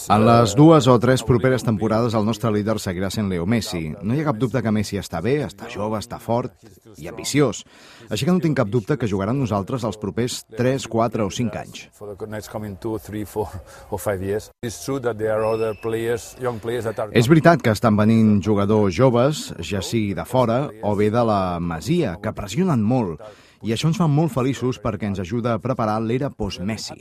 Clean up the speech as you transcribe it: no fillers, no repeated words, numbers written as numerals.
En les 2 o 3 properes temporades el nostre líder seguirà sent Leo Messi. No hi ha cap dubte que Messi està bé, està jove, està fort i ambiciós. Així que no tinc cap dubte que jugarà amb nosaltres els propers 3, 4 o 5 anys. És veritat que estan venint jugadors joves, ja sigui de fora o bé de la Masia, que pressionen molt. I això ens fa molt feliços perquè ens ajuda a preparar l'era post-Messi.